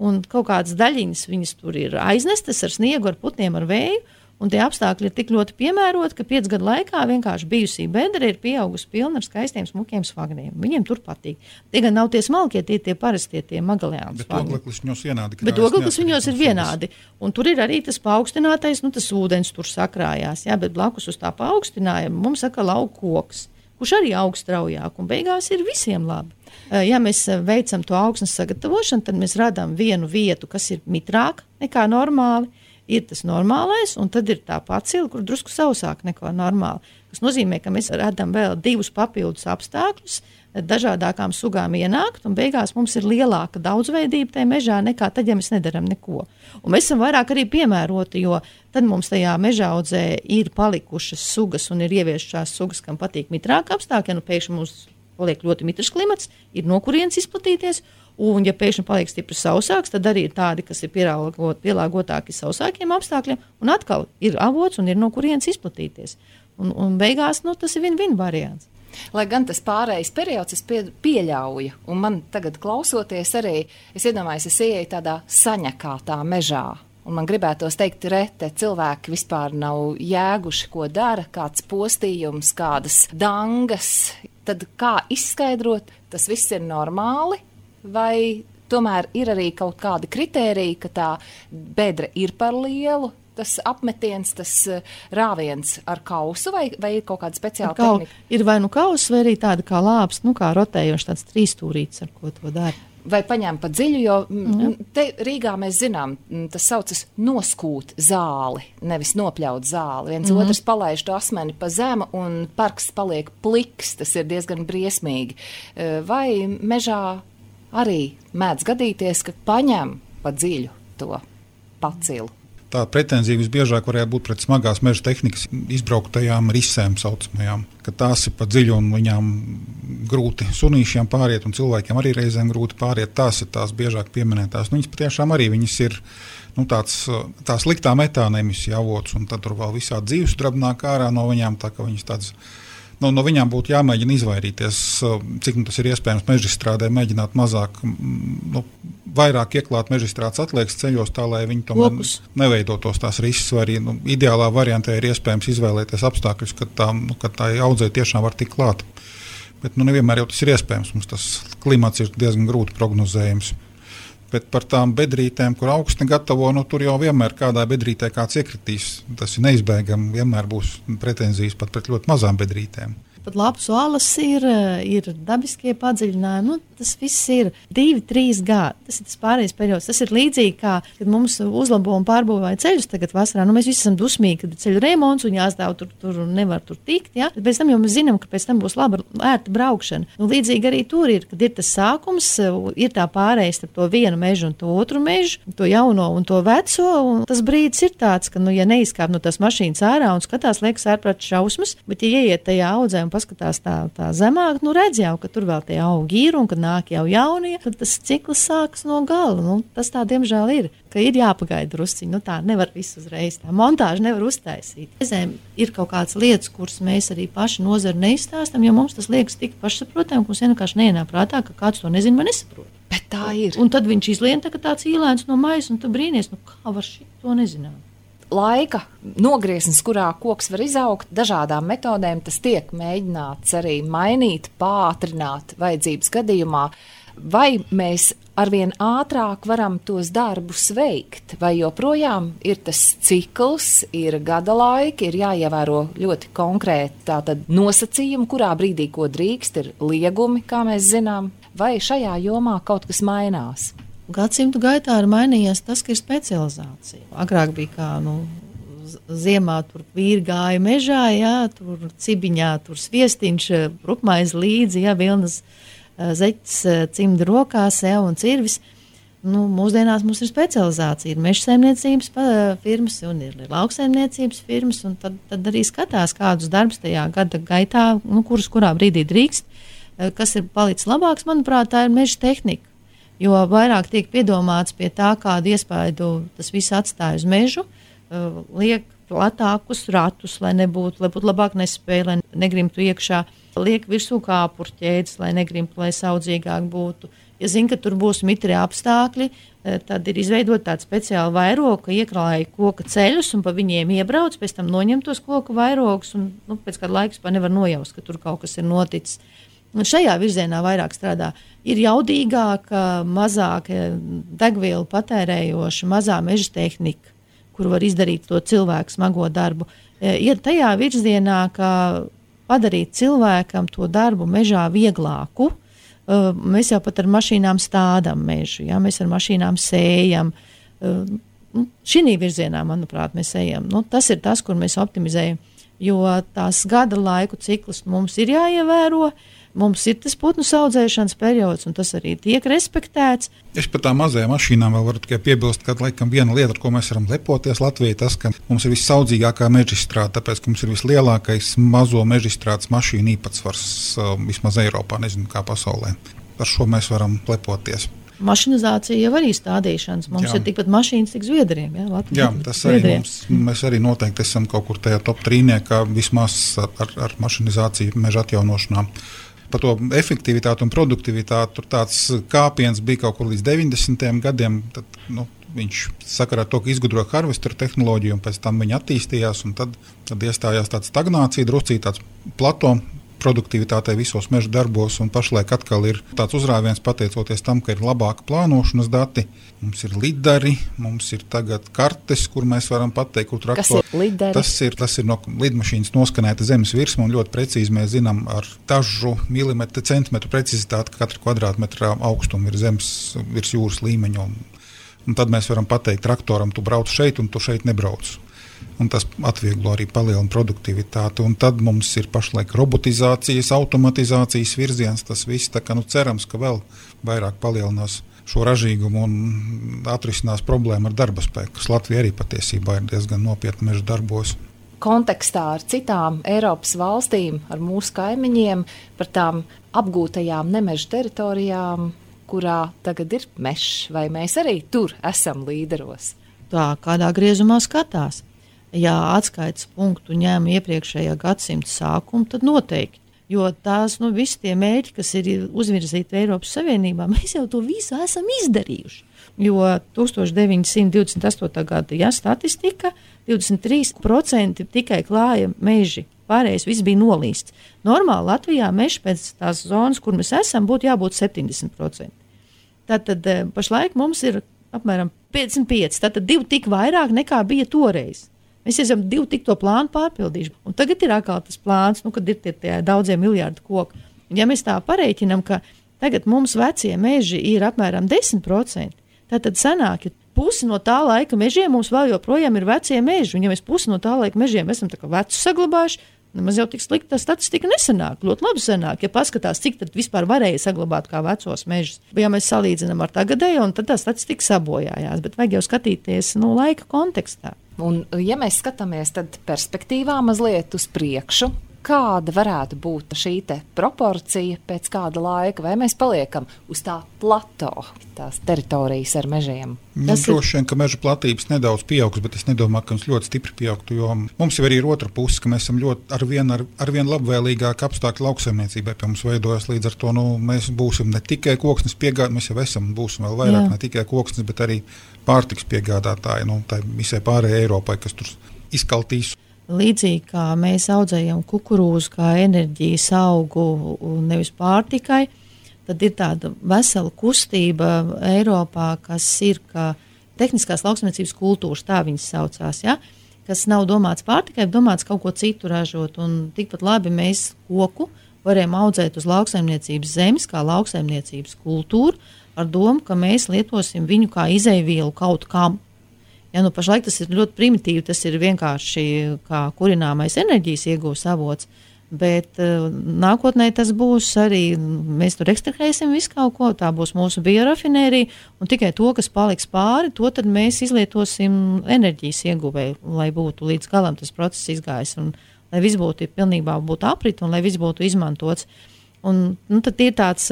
un kaut kādas daļiņas viņas tur ir aiznestas ar sniegu, ar putniem, ar vēju, un tie apstākļi ir tik ļoti piemēroti, ka 5 gadu laikā vienkārši bijusī bedra ir pieaugusi pilna ar skaistiem, smukiem svagniem. Viņiem tur patīk. Tie gan nav tie smalkie, tie parastie, tie magalēni. Bet ogleklis viņos vienādi. Bet ogleklis viņos ir vienādi. Un tur ir arī tas paaugstinātais, tas ūdens tur sakrājās, jā, bet blakus uz tā paaugstinājuma mums saka lauku koks, kurš arī aug straujāk, un beigās ir visiem labi. Ja mēs veicam to augsnes sagatavošanu, tad mēs radām vienu vietu, kas ir mitrāka nekā normāli, ir tas normālais, un tad ir tā pacila, kur drusku sausāk nekā normāli. Tas nozīmē, ka mēs radām vēl 2 papildus apstākļus, dažādākām sugām ienākt, un beigās mums ir lielāka daudzveidība tajā mežā nekā tad, ja mēs nedaram neko. Un mēs esam vairāk arī piemēroti, jo tad mums tajā mežaudzē ir palikušas sugas un ir ieviešās sugas, kam patīk mitrāka apstākļi, pēkšņi mums paliek ļoti mitrs klimats, ir no kurienes izplatīties, un ja pēkšņi paliek stipri sausāks, tad arī ir tādi, kas ir pielāgotāki sausākiem apstākļiem, un atkal ir avots un ir no kurienes izplatīties. Un beigās tas ir win-win variants. Lai gan tas pārējais periods es pieļauju, un man tagad klausoties arī, es iedomājos, es ieeju tādā saņakātā mežā. Un man gribētos teikt, rete cilvēki vispār nav jēguši, ko dara, kāds postījums, kādas dangas. Tad kā izskaidrot, tas viss ir normāli, vai tomēr ir arī kaut kādi kritēriji, ka tā bedra ir par lielu, tas apmetiens, tas rāviens ar kausu, vai ir kaut kāda speciāla tehnika? Ir vai kauss, vai arī tāda kā lāps, kā rotējoši tāds 3-stūrīts, ar ko to dara. Vai paņem pa dziļu, jo te Rīgā mēs zinām, tas saucas noskūt zāli, nevis nopļaut zāli. Viens otrs palaiž to asmeni pa zemu un parks paliek pliks, tas ir diezgan briesmīgi. Vai mežā arī mēdz gadīties, ka paņem pa dziļu to pacilu? Tā pretenzija visbiežāk varētu būt pret smagās meža tehnikas izbrauktajām risēm saucamajām, ka tās ir pa dziļu un viņām grūti sunīšiem pāriet un cilvēkiem arī reizēm grūti pāriet. Tās ir tās biežāk pieminētās. Viņas patiešām arī viņas ir tā sliktā metāna emisija avots, un tad tur vēl visādi dzīvessudrabi nāk ārā no viņām, tā ka viņas tādas. No viņām būtu jāmēģina izvairīties, cik tas ir iespējams mežstrādē, mēģināt mazāk, vairāk ieklāt mežstrādes atliekas ceļos, tā lai viņi tomēr neveidotos tās risks, vai arī ideālā variantē ir iespējams izvēlēties apstākļus, kad tā audzē tiešām var tikt klāt. Bet nevienmēr jau tas ir iespējams, mums tas klimats ir diezgan grūti prognozējams. Bet par tām bedrītēm, kur augstni gatavo, tur jau vienmēr kādā bedrītē kāds iekritīs. Tas ir neizbēgami, vienmēr būs pretenzijas pat pret ļoti mazām bedrītēm. Pat lapas alas ir dabiskie padziļinājumi. Tas viss ir 2-3 gadi. Tas ir tas pārējais periods. Tas ir līdzīgi kā, kad mums uzlabo un pārbūvēja ceļus tagad vasarā. Mēs visi esam dusmīgi, kad ir ceļu remonts un jāstāv tur un nevar tur tikt. Ja? Bet pēc tam jau mēs zinām, ka pēc tam būs laba, ērta braukšana. Līdzīgi arī tur ir, kad ir tas sākums, ir tā pārējais starp to vienu mežu un to otru mežu, to jauno un to veco. Un tas brīdis ir tāds, ka, ja neizkāp no tās mašīnas ārā un skatās, liekas ārprāt šausmas, bet ja ieiet tajā audzē un paskatās tā zemāk, redz jau, ka tur vēl tie augi ir un kad nāk jau jaunie, tad tas cikls sākas no gala. Tas tā diemžēl ir, ka ir jāpagaida drusciņi. Tā nevar visu uzreiz, tā montāža nevar uztaisīt. Reizēm ir kaut kādas lietas, kuras mēs arī paši nozari neizstāstam, jo mums tas liekas tik pašsaprotam, ka mums vienkārši neienāk prātā, ka kāds to nezina vai nesaprot. Bet tā ir. Un tad viņš izlien tā, tāds īlēns no maisa, un tu brīnies, kā var šito nezināt. Laika nogrieznis, kurā koks var izaugt, dažādām metodēm tas tiek mēģināts arī mainīt, pātrināt vajadzības gadījumā. Vai mēs arvien ātrāk varam tos darbus veikt, vai joprojām ir tas cikls, ir gada laiki, ir jāievēro ļoti konkrēti tātad nosacījumi, kurā brīdī ko drīkst, ir liegumi, kā mēs zinām, vai šajā jomā kaut kas mainās? Gadsimtu gaitā ir mainījies tas, ka ir specializācija. Agrāk bija kā, ziemā tur vīri gāja mežā, jā, tur cibiņā, tur sviestiņš, rupmaize līdzi, jā, vilnas zeķis, cimdi rokās, jā, un cirvis. Mūsdienās mums ir specializācija, ir mežsaimniecības firmas un ir lauksaimniecības firmas, un tad arī skatās, kādus darbus tajā gada gaitā, kurā brīdī drīkst, kas ir palicis labāks, manuprāt, tā ir meža tehnika. Jo vairāk tiek piedomāts pie tā, kādu iespaidu tas viss atstāja uz mežu, liek platākus ratus, lai būtu labāk nespēja, lai negrimtu iekšā, liek virsū kāpurķēdes, lai negrimtu, lai saudzīgāk būtu. Ja zina, ka tur būs mitri apstākļi, tad ir izveidot tādu speciālu vairogu, ka iekrāja koka ceļus un pa viņiem iebrauc, pēc tam noņem tos koka vairogus un pēc kāda laika vispār nevar nojaust, ka tur kaut kas ir noticis. Un šajā virzienā vairāk strādā. Ir jaudīgāka, mazāk degvielu patērējoša, mazā meža tehnika, kuru var izdarīt to cilvēku smago darbu. Ir tajā virzienā, ka padarīt cilvēkam to darbu mežā vieglāku. Mēs jau pat ar mašīnām stādām mežu, ja? Mēs ar mašīnām sējam. Šī virzienā, manuprāt, mēs ejam. Tas ir tas, kur mēs optimizējam, jo tās gada laiku ciklus mums ir jāievēro. Mums ir tas putnu audzēšanas periods, un tas arī tiek respektēts. Es par tām mazajām mašīnām vēl varu tikai piebilst, ka laikam viena lieta, ar ko mēs varam lepoties Latvijā, tas, ka mums ir vissaudzīgākā mežstrāde, tāpēc, ka mums ir vislielākais mazo mežstrādes mašīnu īpatsvars vismaz Eiropā, nezinu kā pasaulē. Ar šo mēs varam lepoties. Mašinizācija jau arī stādīšanas. Mums ir tikpat mašīnas, cik Zviedriem. Jā, tas arī mēs arī noteikti esam kaut kur tajā top trīniekā vismaz ar mašinizāciju meža atjaunošanā. Par to efektivitāti un produktivitāti tur tāds kāpiens bija kaut kur līdz 90. gadiem. Tad, viņš sakarā ar to, ka izgudroja harvesteru tehnoloģiju, un pēc tam viņa attīstījās, un tad iestājās tāda stagnācija, druscīgi tāds plato produktivitātei visos meža darbos, un pašlaik atkal ir tāds uzrāviens pateicoties tam, ka ir labāka plānošanas dati. Mums ir lidari, mums ir tagad kartes, kur mēs varam pateikt, kur traktori. Kas ir lidari? Tas ir no lidmašīnas noskanēta zemes virsma, un ļoti precīzi mēs zinām ar dažu milimetru, centimetru precizitāti, ka katra kvadrātmetra augstuma ir zemes virs jūras līmeņa. Un tad mēs varam pateikt traktoram, tu brauc šeit, un tu šeit nebrauc. Un tas atvieglo arī palielina produktivitāti. Un tad mums ir pašlaik robotizācijas, automatizācijas virziens. Tas viss tā kā cerams, ka vēl vairāk palielinās šo ražīgumu un atrisinās problēmu ar darba spēku, kas Latvija arī patiesībā ir diezgan nopietni meža darbos. Kontekstā ar citām Eiropas valstīm, ar mūsu kaimiņiem, par tām apgūtajām nemeža teritorijām, kurā tagad ir mežs, vai mēs arī tur esam līderos? Tā kādā griezumā skatās. Ja atskaites punktu ņem iepriekšējā gadsimta sākumu, tad noteikti. Jo tās visi tie mērķi, kas ir uzvirzīti Eiropas Savienībā, mēs jau to visu esam izdarījuši. Jo 1928. gada statistika 23% tikai klāja meži. Pārējais viss bija nolīsts. Normāli Latvijā mežs pēc tās zonas, kur mēs esam, būtu jābūt 70%. Tātad pašlaik mums ir apmēram 55%, tātad 2 tik vairāk nekā bija toreiz. Mēs esam 2 tik to plānu pārpildījuši. Un tagad ir atkal tas plāns, kad ir tie daudzie miljārdi koku. Un ja mēs tā pareiķinām, ka Tagad mums vecie meži ir apmēram 10%. Tātad sanāk, ja pusi no tā laika mežiem mums vēl joprojām ir vecie meži. Un ja mēs pusi no tā laika mežiem esam tā kā vecus saglabājuši, nemaz jau tik slikti tā statistika nesanāk. Ļoti labi sanāk, ja paskatās, cik tad vispār varēja saglabāt kā vecos mežus. Ja mēs salīdzinām ar tagadējo, tad tā statistika sabojājās, bet vajag jau skatīties laika kontekstā. Un ja mēs skatāmies tad perspektīvā mazliet uz priekšu, kāda varētu būt šī te proporcija pēc kāda laika, vai mēs paliekam uz tā plato, tās teritorijas ar mežiem? Droši vien, ka meža platības nedaudz pieaugs, bet es nedomāju, ka mums ļoti stipri pieaugtu, jo mums jau arī ir otra puse, ka mēs esam ļoti arvien labvēlīgāk apstākļi lauksaimniecībai pie mums veidojas, līdz ar to mēs būsim ne tikai koksnes piegādātāji, mēs jau esam, būsim vēl vairāk ne tikai koksnes, bet arī pārtiks piegādātāji, tā visai pārējai Eiropai, kas tur izkaltīs. Līdzīgi kā mēs audzējam kukurūzu kā enerģijas augu nevis pārtikai, tad ir tāda vesela kustība Eiropā, kas ir kā tehniskās lauksaimniecības kultūras, tā viņas saucās, ja? Kas nav domāts pārtikai, domāts kaut ko citu ražot. Un tikpat labi mēs koku varējām audzēt uz lauksaimniecības zemes, kā lauksaimniecības kultūru, ar domu, ka mēs lietosim viņu kā izeivielu kaut kam. Ja, pašlaik tas ir ļoti primitīvi, tas ir vienkārši kā kurināmais enerģijas iegūs avots, bet nākotnē tas būs arī, mēs tur ekstrahēsim visu kaut ko, tā būs mūsu biorafinērija, un tikai to, kas paliks pāri, to tad mēs izlietosim enerģijas ieguvēju, lai būtu līdz galam tas process izgājis, un lai viss būtu pilnībā būtu aprit, un lai viss būtu izmantots. Un, tad ir tāds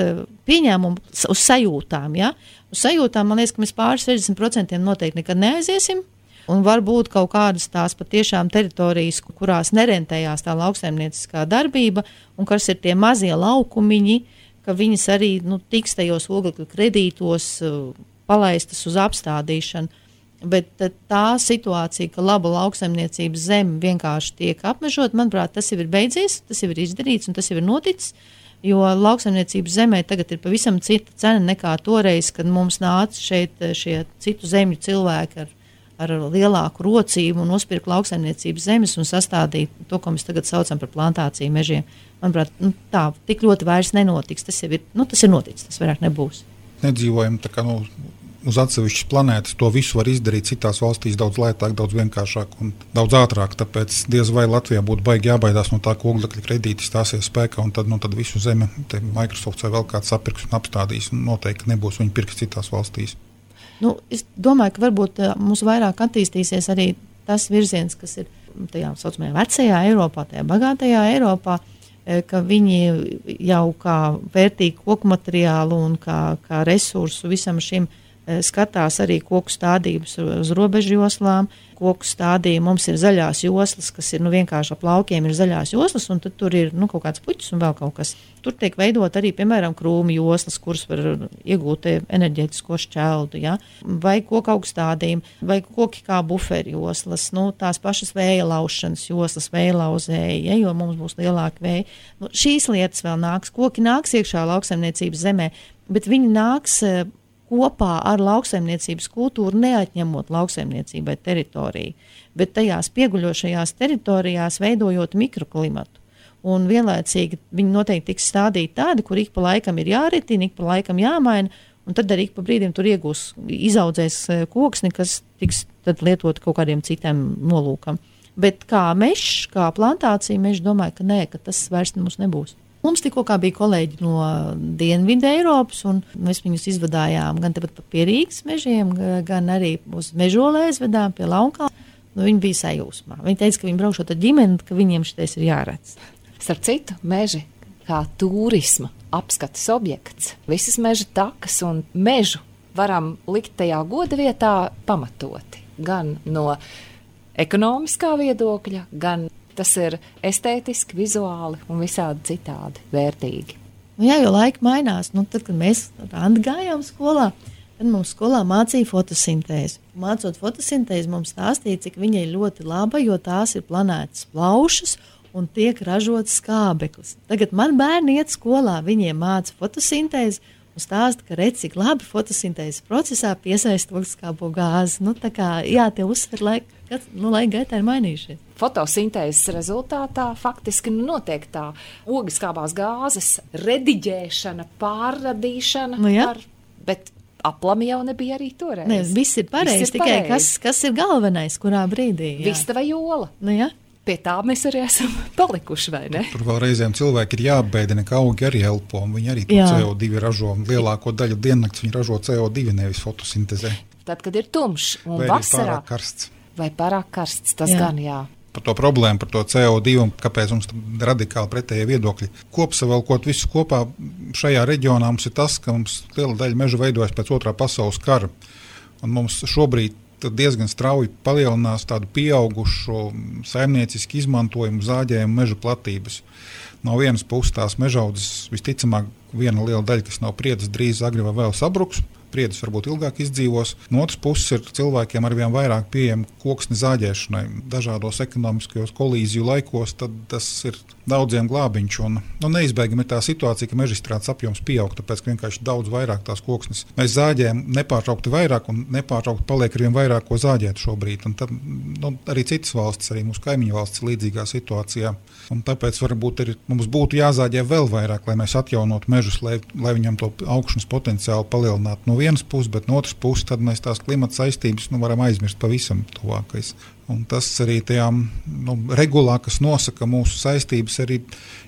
pieņēmums uz sajūtām. Ja? Uz sajūtām, man liekas, ka mēs pāri 60% noteikti nekad neaiziesim. Un varbūt kaut kādas tās patiešām teritorijas, kurās nerentējās tā lauksaimnieciskā darbība, un kas ir tie mazie laukumiņi, ka viņas arī tiks tajos oglekļa kredītos palaistas uz apstādīšanu. Bet tā situācija, ka laba lauksaimniecības zeme vienkārši tiek apmežot, manuprāt, tas jau ir beidzies, tas jau ir izdarīts un tas jau ir noticis. Jo lauksaimniecības zemē tagad ir pavisam cita cena nekā toreiz, kad mums nāca šeit šie citu zemju cilvēki ar lielāku rocību un nospirka lauksaimniecības zemes un sastādīja to, ko mēs tagad saucam par plantāciju mežiem. Manuprāt, tā tik ļoti vairs nenotiks. Tas ir noticis, tas vairāk nebūs. Nedzīvojam tā kā uz atsevišķas planētas, to visu var izdarīt citās valstīs daudz lētāk, daudz vienkāršāk un daudz ātrāk. Tāpēc diez vai Latvijā būtu baigi jābaidās no tā, ka oglekļa kredīti stāsies spēkā un tad visu zemi Microsoft vai vēl kāds sapirks un apstādīs. Un noteikti nebūs viņi pirks citās valstīs. Es domāju, ka varbūt mums vairāk attīstīsies arī tas virziens, kas ir tajā saucamajā vecajā Eiropā, tajā bagātajā Eiropā, ka viņi jau kā vērtīgu koku materiālu un kā resursu visam šim skatās arī koku stādības uz robežu joslām. Koku stādījumi mums ir zaļās joslas, kas ir vienkārši ap laukiem ir zaļās joslas, un tad tur ir kaut kāds puķis un vēl kaut kas. Tur tiek veidot arī, piemēram, krūmu joslas, kuras var iegūt enerģētisko šķeldu, ja? Vai koku augstādījumi, vai koki kā buferi joslas, tās pašas vēja laušanas joslas, vēja lauzēji, ja? Jo mums būs lielāka vēja. Šīs lietas vēl nāks, koki nāks iekšā lauksaimniecības zemē, bet viņi nāks kopā ar lauksaimniecības kultūru, neatņemot lauksaimniecībai teritoriju, bet tajās pieguļošajās teritorijās veidojot mikroklimatu. Un vienlaicīgi viņi noteikti tiks stādīti tādi, kur ik pa laikam ir jāritina, ik pa laikam jāmaina, un tad arī ik pa brīdim tur izaudzēs koksni, kas tiks tad lietot kaut kādiem citiem nolūkam. Bet kā mežs, kā plantācija, mežs domāju, ka nē, ka tas vairs mums nebūs. Mums tikko bija kolēģi no Dienvidu Eiropas, un mēs viņus izvadājām gan tepat pa pie Rīgas mežiem, gan arī uz Mežolē aizvedām pie Launkā. Viņi bija sajūsmā. Viņi teica, ka viņi braukšot ar ģimeni, ka viņiem šitais ir jāredz. Starp citu, meži kā turisma apskates objekts. Visas meža takas un mežu varam likt tajā goda vietā pamatoti. Gan no ekonomiskā viedokļa, gan tas ir estētiski, vizuāli un visādi citādi vērtīgi. Jā, jo laika mainās. Tad, kad mēs Randi gājām skolā, tad mums skolā mācīja fotosintēzi. Mācot fotosintēzi, mums stāstīja, cik viņa ir ļoti laba, jo tās ir planētas plaušas un tiek ražots skābeklis. Tagad man bērni iet skolā, viņiem māca fotosintēzi un stāsta, ka redz, cik labi fotosintēzes procesā piesaista ogleskābo gāzi. Tā kā, jā, tie uzsver laika, laika gaitā ir mainījušies. Fotosintēzes rezultātā faktiski notiek tā ogliskābās gāzes rediģēšana, pārradīšana, bet aplami jau nebija arī toreiz. Ne, viss ir pareizi, tikai kas ir galvenais, kurā brīdī? Vista vai jola. Pie tā mēs arī esam palikuši, vai ne? Tur vēl reizēm cilvēki ir jāapbēdina, ka augi arī elpo, un viņi arī CO2 ražo. Lielāko daļu diennakts viņi ražo CO2, nevis fotosintezē. Tad, kad ir tumšs un vai vasarā. Pārāk karsts. Vai pārāk karsts, tas gan jā. Par to problēmu, par to CO2 un kāpēc mums radikāli pretējie viedokļi. Kopsavilkot visu kopā šajā reģionā mums ir tas, ka mums liela daļa meža veidojas pēc otrā pasaules kara. Un mums šobrīd diezgan strauji palielinās tādu pieaugušu saimniecisku izmantojumu zāģējumu meža platības. No vienas puses tās mežaudzes visticamāk viena liela daļa, kas nav priedes, drīz agri vai vēl sabruks. Priedes varbūt ilgāk izdzīvos. No otras puses ir cilvēkiem arvien vairāk pieejami koksni zāģēšanai. Dažādos ekonomiskajos kolīziju laikos tad tas ir daudziem glābiņš. Un neizbēgami ir tā situācija, ka mežstrādes apjoms pieaug, tāpēc ka vienkārši daudz vairāk tās koksnes. Mēs zāģējam nepārtraukti vairāk un nepārtraukti paliek arvien vairāk ko zāģēt šobrīd. Un tad arī citas valstis, arī mūsu kaimiņu valstis ir līdzīgā situācijā. Un tāpēc varbūt mums būtu jāzāģē vēl vairāk, lai mēs atjaunotu mežus, lai viņam to augšanas potenciālu palielinātu no vienas puses, bet no otras puses tad mēs tās klimata saistības varam aizmirst pavisam tuvākais. Un tas arī tajām regulā, kas nosaka mūsu saistības, arī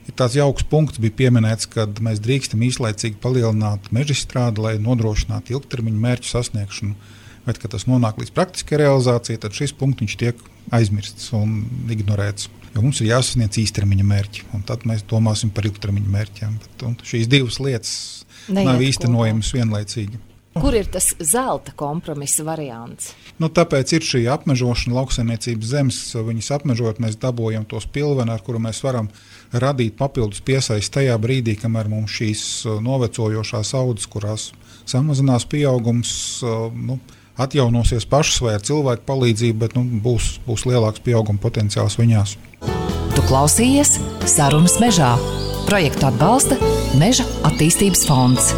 ir tāds jauks punkts, bija pieminēts, kad mēs drīkstam īslaicīgi palielināt mežstrādi, lai nodrošinātu ilgtermiņu mērķu sasniegšanu. Bet, kad tas nonāk līdz praktiskai realizācijai, tad šis punkts tiek aizmirsts un ignorēts. Jo mums ir jāsasniedz īstermiņa mērķi, un tad mēs domāsim par ilgtermiņa mērķiem. Šīs divas lietas nav īstenojamas vienlaicīgi. Kur ir tas zelta kompromisa variants? Tāpēc ir šī apmežošana, lauksaimniecības zemes. Viņas apmežojot, mēs dabūjam tos pilveni, ar kuru mēs varam radīt papildus piesaisti tajā brīdī, kamēr mums šīs novecojošās audzes, kurās samazinās pieaugums, atjaunosies pašas vai ar cilvēku palīdzību, bet būs lielāks pieauguma potenciāls viņās. Tu klausījies Sarunas mežā. Projektu atbalsta Meža attīstības fonds.